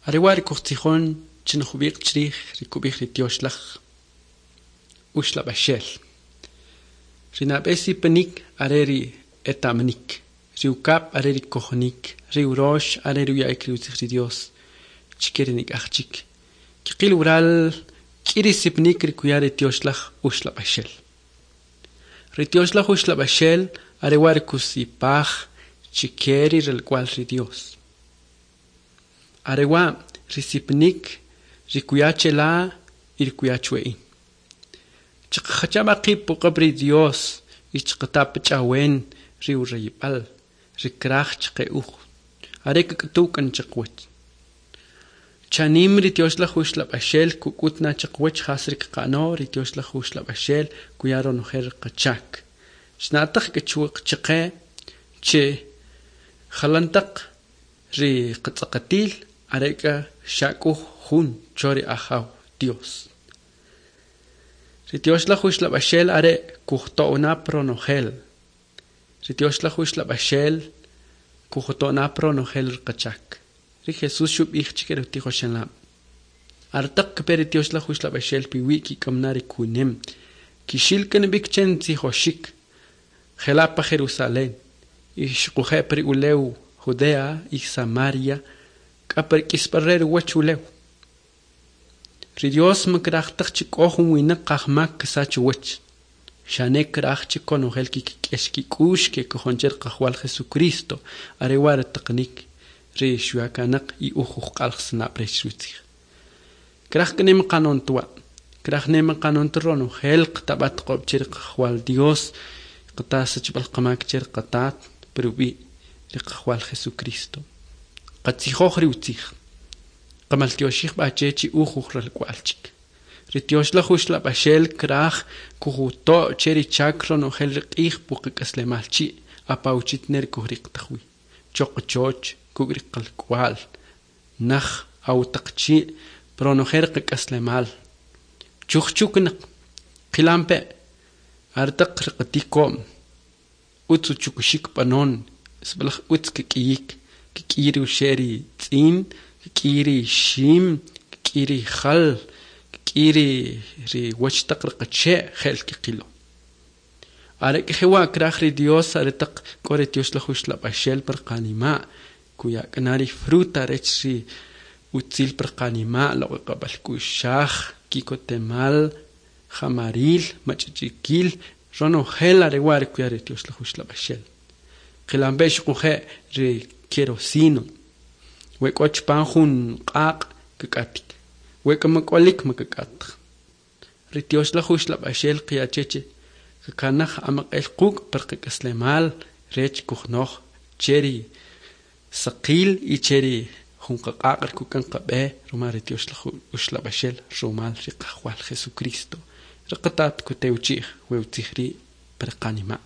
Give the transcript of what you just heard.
Are wa' ri kujtzijon chin jub'iq' chrij ri kub'ij ri Tyoxlaj Uxlab'axel. Ri nab'e sipanik are ri eta'manik, ri ukab' are ri kojonik, ri urox are ri uya'ik ri utzij ri Dios chike ri nik'aj chik. Kiqil wural k'i ri sipanik ri kuya ri Tyoxlaj Uxlab'axel. Ri Tyoxlaj Uxlab'axel are wa' ri kusipaj chike ri ralk'wa'l ri Dios. Are wa' ri sipanik ri kuya chela y ri kuya chwe in. Chaqajacha b'a qib' puq'ab' ri Dios y chaqata pach'awen ri urayib'al, ri kraj chaqe uj. Are kak'utuw k'an chaqwach. Chanim ri Tyoxlaj Uxlab'axel kuk'ut na chaqwach jas ri qaqa'no ri Tyoxlaj Uxlab'axel kuya ronojel qachak. Chna'taj k'achuq chaqe che jalantaq ri qatz'aqatil are k'a xak'uj jun cho ri Ajaw Dios. Ri Tyoxlaj Uxlab'axel are kujto'na pronojel. Ri Tyoxlaj Uxlab'axel kujto'na pronojel ri qachak. Ri Jesús xub'ij chike ri utijoxelab'. Artaq kpe ri Tyoxlaj Uxlab'axel piwi' kik'amna ri kunem. Kixil k'an b'ik chen tzijoxik. Jela' pa Jerusalén. Y xuquje' pa ri ulew Judea y Samaria k'a pa ri k'isb'al re ruwach ulew. Ri Dios makraj taq chi k'o jun winaq qajmak kisach uwach. Xane kraj chi konojel kik'ex kik'ux kekojon che Qajwal Jesucristo. Are wa' ri taqanik ri xyakanaq y uj ujq'alajsanab' rech rutzij. Kraj k'nem qanon twa'. Kraj nem qanon ronojel qtab'at qob' che ri Qajwal Dios qata sachb'al qamak che ri qatat perub'i' ri Qajwal Jesucristo. Qatzijoj ri utzij. Qamaltyoxij b'a che chi uj ujralk'wa'l chik. Ri Tyoxlaj Uxlab'axel kraj kujuto' che ri chak ronojel ri q'ij puqak'aslemal chi' apawchit ner kujriqtaj wi. Choqochoch kuk' ri qalk'wa'l naj awtaq chi' pronojel qak'aslemal. Chujchuknaq qilampe' artaq riqatiko'm utz uchukuxik b'anon sib'alaj utz kik'iyik kik'iy ri uxe' ri tz'iin kik'iy ri ixim kik'iy ri jal kik'iy ri ri wach taq riqache' je'l kiqilo. Are k'ejewa' kraj ri Dios are taq k'o ri Tyoxlaj Uxlab'axel par qanima' kuyak'na ri fruta rech ri utzil par qanima' loq'oq'eb'al k'u'xaj kikotemal jamaril mach'ich'ikil ronojel are wa' ri kuya ri Tyoxlaj Uxlab'axel. Qilampe' xuquje' ri kerosino. We k'o chpan jun q'aq' kik'atik. We k'o mak'olik makak'ataj. Ri Tyoxlaj Uxlab'axel qiyacheche kakanaj amaq'el quk' par qak'aslemal rech kujnoj che ri saqil y che ri jun qaq'aq' ri kuk'an qab'e rumal ri Tyoxlaj Uxlab'axel rumal ri Qajwal Jesucristo. Ri qatat kutewchi'j we utzij ri' par qanima'.